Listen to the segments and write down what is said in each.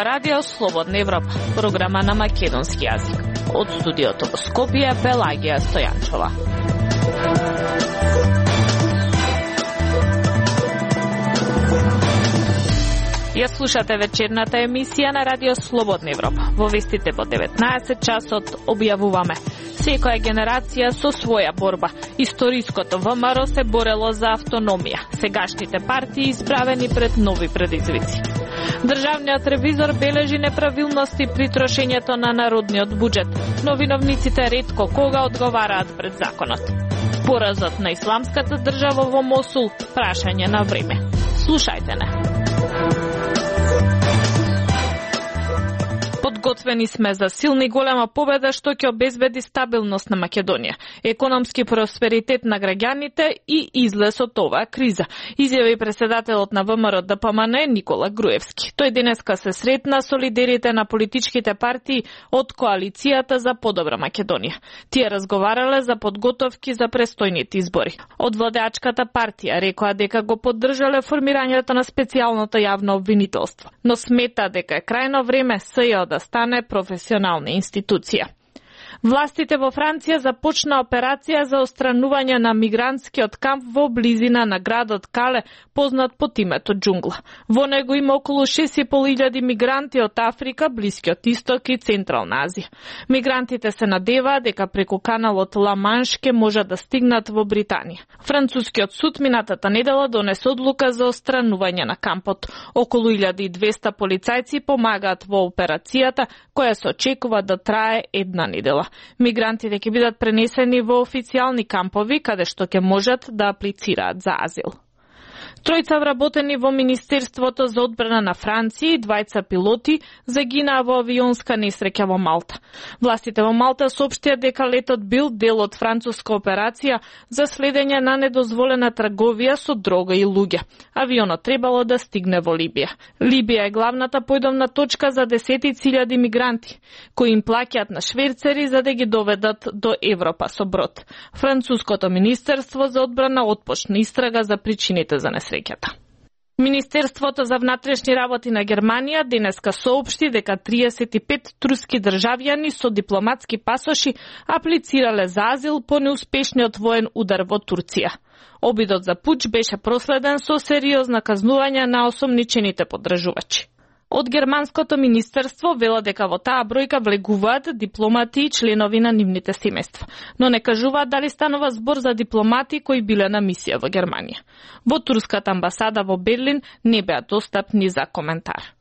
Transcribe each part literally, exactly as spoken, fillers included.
ова радио Слободна Европа, програма на македонски јазик. Од студиото во Скопје, Пелагија Стојанчова. Ја слушате вечерната емисија на радио Слободна Европа. Во вестите по деветнаесет часот објавуваме: секоја генерација со своја борба. Историското ВМРО се борело за автономија. Сегашните партии исправени пред нови предизвици. Државниот ревизор бележи неправилности при трошењето на народниот буџет, но виновниците ретко кога одговараат пред законот. Поразот на исламската држава во Мосул, прашање на време. Слушајте не. Подготвени сме за силна и голема победа што ќе обезбеди стабилност на Македонија, економски просперитет на граѓаните и излез од оваа криза, изјави председателот на ВМРО ДПМН Никола Груевски. Тој денеска се сретна со лидерите на политичките партии од коалицијата за подобра Македонија. Тие разговарале за подготовки за престојните избори. Од владеачката партија рекоа дека го поддржале формирањето на специјалното јавно обвинителство, но смета дека е крајно време СЈО да стане професионална институција. Властите во Франција започна операција за отстранување на мигрантскиот камп во близина на градот Кале, познат под името Џунгла. Во него има околу шест и пол илјади мигранти од Африка, Блискиот Исток и Централна Азија. Мигрантите се надеваат дека преку каналот Ла Манш ке можат да стигнат во Британија. Францускиот суд минатата недела донесе одлука за отстранување на кампот. Околу илјада и двесте полицајци помагаат во операцијата, која се очекува да трае една недела. Мигрантите ќе бидат пренесени во официјални кампови, каде што ќе можат да аплицираат за азил. Тројца вработени во Министерството за одбрана на Франција и двајца пилоти загинаа во авионска несреќа во Малта. Властите во Малта соопштија дека летот бил дел од француска операција за следење на недозволена трговија со дрога и луѓе. Авионот требало да стигне во Либија. Либија е главната појдовна точка за десетици илјади мигранти, кои им плаќаат на шверцери за да ги доведат до Европа со брод. Француското Министерство за одбрана отпочна истрага за причините за несреќата. Министерството за внатрешни работи на Германија денеска соопшти дека триесет и пет турски државјани со дипломатски пасоши аплицирале за азил по неуспешниот воен удар во Турција. Обидот за пуч беше проследен со сериозна казнување на осомничените поддржувачи. Од германското министерство вела дека во таа бројка влегуваат дипломати и членови на нивните семејства, но не кажуваат дали станува збор за дипломати кои биле на мисија во Германија. Во турската амбасада во Берлин не беа достапни за коментар.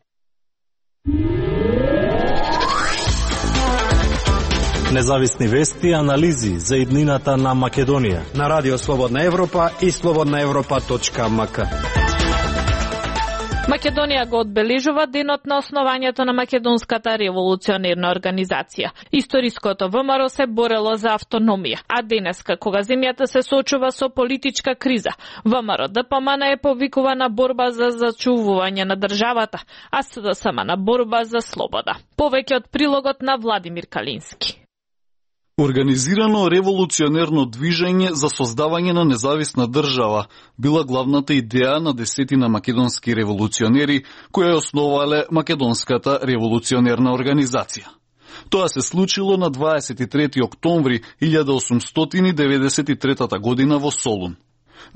Независни вести и анализи за иднината на Македонија на Радио Слободна Европа и слободна европа точка ем ка. Македонија го одбележува денот на основањето на Македонската револуционерна организација. Историското ВМРО се борело за автономија, а денеска, кога земјата се соочува со политичка криза, ВМРО ДПМН е повикува на борба за зачувување на државата, а СДСМ на борба за слобода. Повеќе од прилогот на Владимир Калински. Организирано револуционерно движење за создавање на независна држава била главната идеја на десетина македонски револуционери кои ја основале Македонската револуционерна организација. Тоа се случило на дваесет и трети октомври илјада осумстотини деветдесет и трета година во Солун.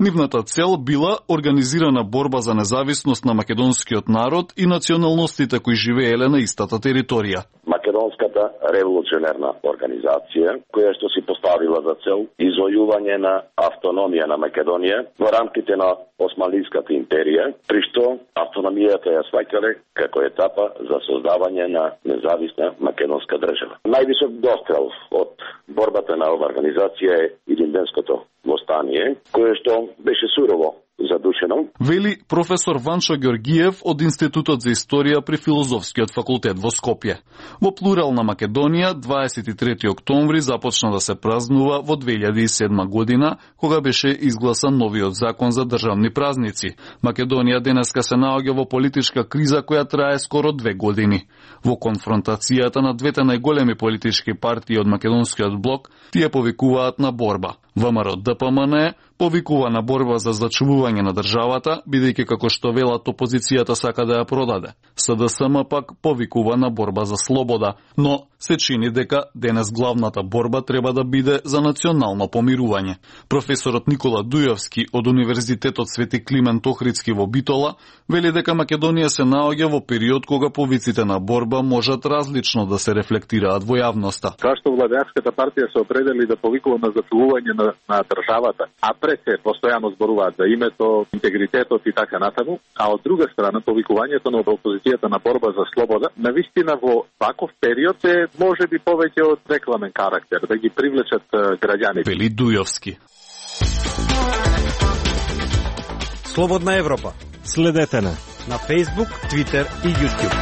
Нивната цел била организирана борба за независност на македонскиот народ и националностите кои живееле на истата територија. Македонската револуционерна организација, која што си поставила за цел извојување на автономија на Македонија во рамките на Османлиската империја, при што автономијата ја сваќале како етапа за создавање на независна македонска држава. Највисок дострел од борбата на оваа организација е Илинденското востание, кое што беше сурово задушено. Вели професор Ванчо Георгиев од Институтот за историја при Филозофскиот факултет во Скопје. Во плурална Македонија дваесет и трети октомври започна да се празнува во две илјади и седма година, кога беше изгласан новиот закон за државни празници. Македонија денеска се наоѓа во политичка криза која трае скоро две години. Во конфронтацијата на двете најголеми политички партии од македонскиот блок, тие повикуваат на борба. ВМРО ДПМН повикува на борба за зачувување на државата, бидејќи како што велат опозицијата сака да ја продаде. С Д С М пак повикува на борба за слобода, но се чини дека денес главната борба треба да биде за национално помирување. Професорот Никола Дујовски од Универзитетот Свети Климент Охридски во Битола вели дека Македонија се наоѓа во период кога повиците на борба можат различно да се рефлектираат во јавноста. Зашто владеачката партија се определи да повикува на зачувување на, на државата, а пред се постојано зборуваат за името, интегритетот и така натаму, а од друга страна повикувањето на опозицијата на борба за слобода, навистина во ваков период е можеби повеќе од рекламен карактер, да ги привлечат граѓаните. Вели Дујовски. Слободна Европа. Следете на на Facebook, Twitter и YouTube.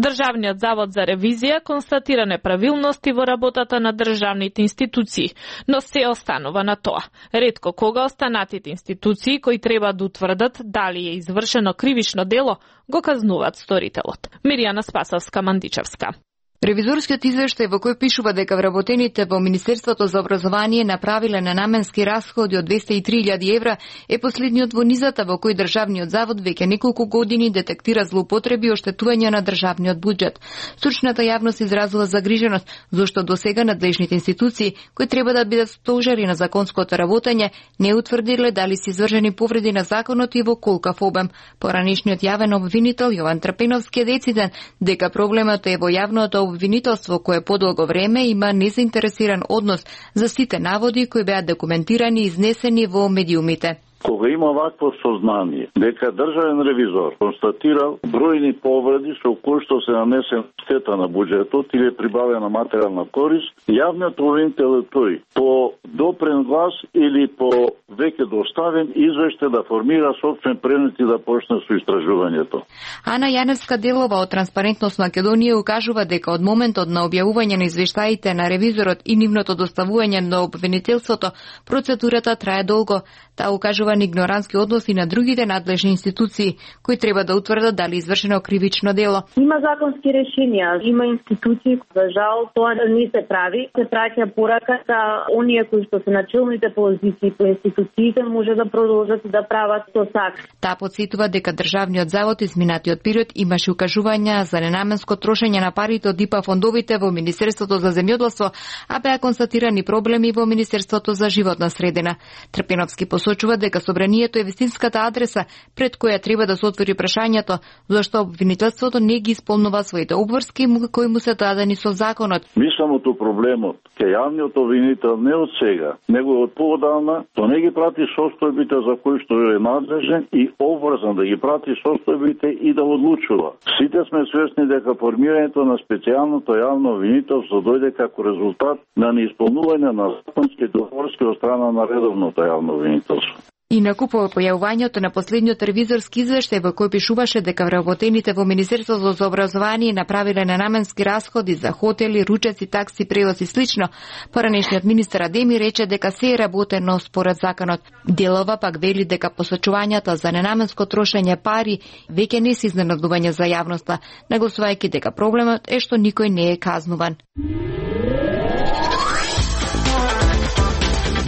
Државниот завод за ревизија констатира неправилности во работата на државните институции, но се останува на тоа. Ретко кога останатите институции кои треба да утврдат дали е извршено кривично дело, го казнуваат сторителот. Миријана Спасовска-Мандичевска. Ревизорскиот извештај во кој пишува дека вработените во Министерството за образование направиле ненаменски расходи од двесте и три илјади евра е последниот во низата во кој државниот завод веќе неколку години детектира злоупотреби и оштетување на државниот буџет. Стручната јавност изразува загриженост зашто досега надлежните институции кои треба да бидат стожари на законското работење не утврдиле дали се извршени повреди на законот и во колкав обем. Поранешниот јавен обвинител Јован Трпеновски е дециден дека проблемот е во јавното обвинителство кое подолго време има незаинтересиран однос за сите наводи кои беа документирани и изнесени во медиумите. Кога има вакво сознание дека државен ревизор констатирал бројни повреди со кои што се нанесен штета на буџетот или прибавена материјална корист, јавниот обвинител е тој по допрен глас или по веќе доставен извештај да формира собствен предмет и да почне со истражувањето. Ана Јаневска Делова од Транспарентност Македонија укажува дека од моментот на објавување на извештаите на ревизорот и нивното доставување на обвинителството, процедурата трае долго. Таа укажува на игнорантски односи на другите надлежни институции кои треба да утврдат дали извршено кривично дело. Има законски решенија, има институции, за жал тоа не се прави. Се праќа пораката, оние кои што се на челните позиции по институциите може да продолжат да прават тоа сак. Таа потсетува дека државниот завод изминатиот период имаше укажувања за ненаменско трошење на парите од ИПА фондовите во Министерството за земјоделство, а беа констатирани проблеми во Министерството за животна средина. Трпеновски посочува дека собранието е вистинската адреса пред која треба да се отвори прашањето зашто обвинителството не ги исполнува своите обврски кои му се дадени со законот. Мислам проблемот ке јавниот обвинител не од сега, него од поодамна, то не ги прати состојбите за кои што е надлежен и обврзан да ги прати состојбите и да одлучува. Сите сме свесни дека формирањето на специјалното јавно обвинителство дојде како резултат на неисполнување на законски договорски од страна на редовното јавно обвинителство. Инаку по појавувањето на последниот ревизорски извештај во кој пишуваше дека вработените во Министерството за образование направиле ненаменски расходи за хотели, ручеци, такси, превоз и слично, поранешниот министер Адеми рече дека се е работено според законот. Делова пак вели дека посочувањата за ненаменско трошење пари веќе не се изненадување за јавноста, нагласувајќи дека проблемот е што никој не е казнуван.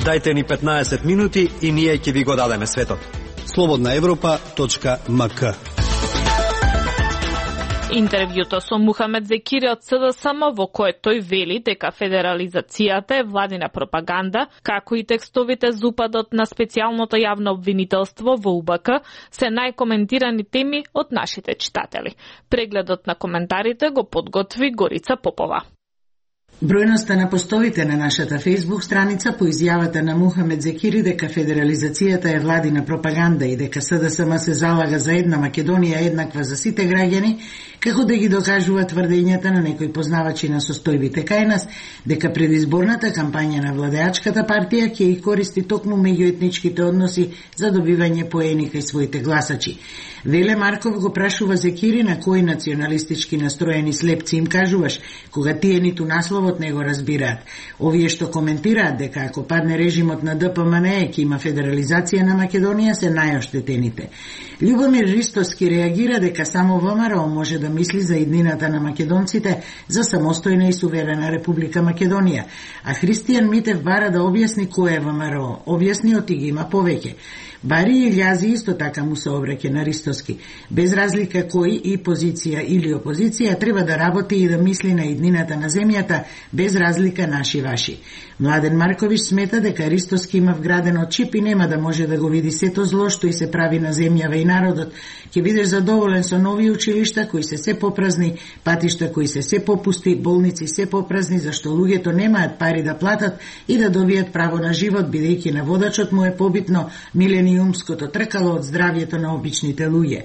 Дајте ни петнаесет минути и ние ќе ви го дадеме светот. слободна европа точка м к. Интервјуто со Мухамед Зекири од С Д С М во кое тој вели дека федерализацијата е владина пропаганда, како и текстовите за упадот на специјалното јавно обвинителство во У Б К се најкоментирани теми од нашите читатели. Прегледот на коментарите го подготви Горица Попова. Бројноста на постовите на нашата Facebook страница по изјавата на Мухамед Зекири дека федерализацијата е владина пропаганда и дека С Д С М се залага за една Македонија еднаква за сите граѓани, како да ги докажува тврдењата на некои познавачи на состојбите кај нас, дека предизборната кампања на владеачката партија ќе ги користи токму меѓуетничките односи за добивање поени кај своите гласачи. Веле Марков го прашува Зекири на кои националистички настроени слепци им кажуваш, кога тие ниту насловот не го разбираат. Овие што коментираат дека ако падне режимот на Д П М Н Е ќе има федерализација на Македонија се најоштетените. Љубомир Ристовски реагира дека само ВМРО може да мисли за иднината на македонците за самостојна и суверена Република Македонија, а Христијан Митев бара да објасни кој е ВМРО. Објасниот и ги има повеќе. Бари Илјази исто така му се обреќе на Ристоски. Без разлика кој и позиција или опозиција треба да работи и да мисли на иднината на земјата, без разлика наши-ваши. Младен Марковиќ смета дека Ристоски има вградено чип и нема да може да го види сето зло што и се прави на земјава и народот. Ќе бидеш задоволен со нови училишта кои се се попразни, патишта кои се се попусти, болници се попразни, зашто луѓето немаат пари да платат и да добијат право на живот, бидејќи на водачот му е побитно милениумското тркало од здравјето на обичните луѓе.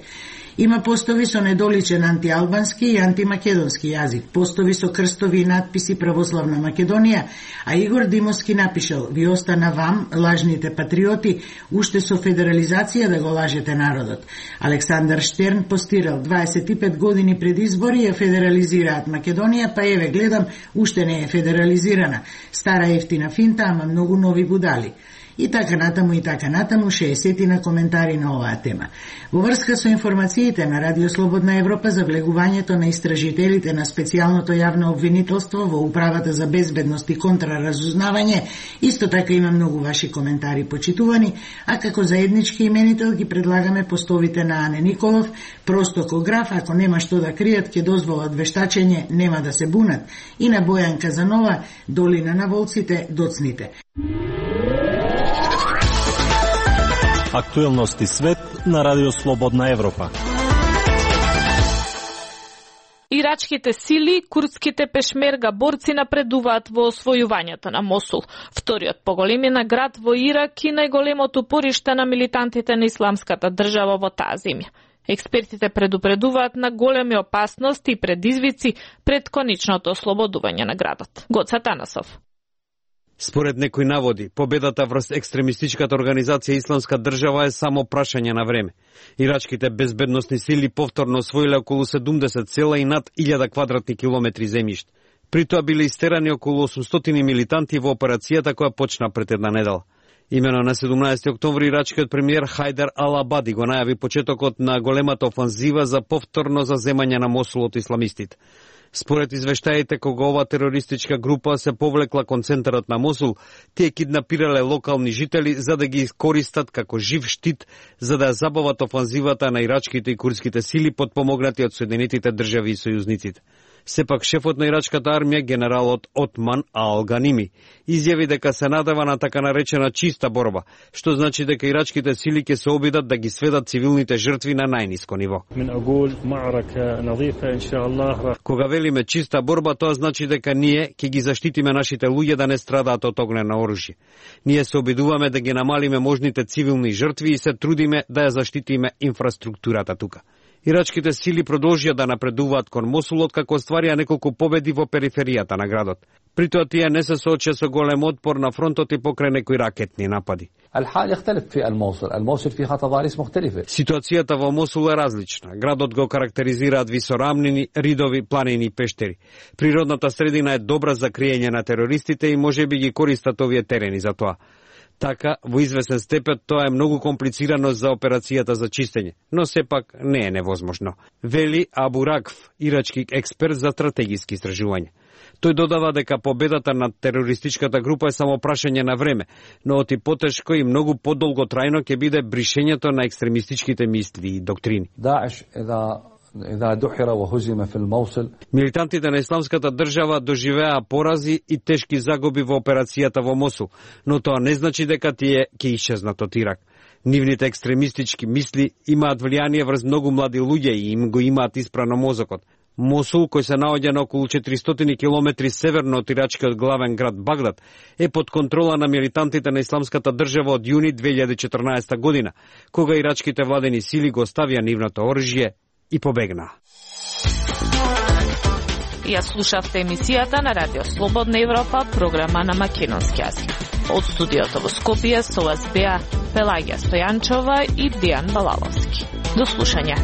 Има постови со недоличен антиалбански и антимакедонски јазик, постови со крстови и надписи Православна Македонија, а Игор Димовски напишал: "Ви остана вам, лажните патриоти, уште со федерализација да го лажете народот." Александар Штерн постирал: дваесет и пет години пред избори ја федерализираат Македонија, па еве гледам, уште не е федерализирана. Стара ефтина финта, ама многу нови будали. И така натаму, и така натаму, шеесет на коментари на оваа тема. Во врска со информациите на Радио Слободна Европа за влегувањето на истражителите на специјалното јавно обвинителство во Управата за безбедност и контраразузнавање, исто така има многу ваши коментари почитувани, а како заеднички именител ги предлагаме постовите на Ане Николов: "Простокограф, ако нема што да кријат, ќе дозволат вештачење, нема да се бунат", и на Бојан Казанова: "Долина на волците, доцните". Актуелности свет на Радио Слободна Европа. Ирачките сили, курдските пешмерга борци напредуваат во освојувањето на Мосул, вториот по големина град во Ирак и најголемото пориште на милитантите на исламската држава во таа земја. Експертите предупредуваат на големи опасности и предизвици пред конечното ослободување на градот. Гоца Танасов. Според некои наводи, победата врз екстремистичката организација Исламска држава е само прашање на време. Ирачките безбедносни сили повторно освоиле околу седумдесет села и над илјада квадратни километри земјиште. При тоа биле истерани околу осумстотини милитанти во операцијата која почна пред една недела. Имено на седумнаесети октомври ирачкиот премиер Хајдар Ал-Абади го најави почетокот на големата офанзива за повторно заземање на Мосул од исламистите. Според извештаите, кога ова терористичка група се повлекла кон центарот на Мосул, тие киднапирале локални жители за да ги искористат како жив штит за да ја забават офанзивата на ирачките и курдските сили подпомогнати од Соединетите држави и сојузниците. Сепак шефот на ирачката армија, генералот Отман Ал-Ганими, изјави дека се надева на така наречена чиста борба, што значи дека ирачките сили ќе се обидат да ги сведат цивилните жртви на најниско ниво. Кога велиме чиста борба, тоа значи дека ние ќе ги заштитиме нашите луѓе да не страдаат од огнено оружје. Ние се обидуваме да ги намалиме можните цивилни жртви и се трудиме да ја заштитиме инфраструктурата тука. Ирачките сили продолжија да напредуваат кон Мосул откако остварија неколку победи во периферијата на градот. При тоа тие не се соочија со голем отпор на фронтот и покрај некои ракетни напади. Ситуацијата во Мосул е различна. Градот го карактеризираат висорамнини, ридови, планини и пештери. Природната средина е добра за криење на терористите и можеби ги користат овие терени за тоа. Така, во известен степен, тоа е многу комплицирано за операцијата за чистење, но сепак не е невозможно. Вели Абу Ракф, ирачки експерт за стратегиски истражување. Тој додава дека победата над терористичката група е само прашање на време, но оти потешко и многу подолго трајно ќе биде бришењето на екстремистичките мисли и доктрини. Милитантите на Исламската држава доживеа порази и тешки загуби во операцијата во Мосул, но тоа не значи дека тие ќе исчезнат од Ирак. Нивните екстремистички мисли имаат влијание врз многу млади луѓе и им го имаат испрано мозокот. Мосул, кој се наоѓа на околу четиристотини километри северно од ирачкиот главен град Багдад, е под контрола на милитантите на Исламската држава од јуни две илјади и четрнаесета година, кога ирачките владени сили го оставија нивното оружје и побегна. Ја слушавте емисијата на Радио Слободна Европа, програма на македонски јазик. Од студиото во Скопје со вас беа Пелагија Стојанчова и Дијан Балаловски. До слушање.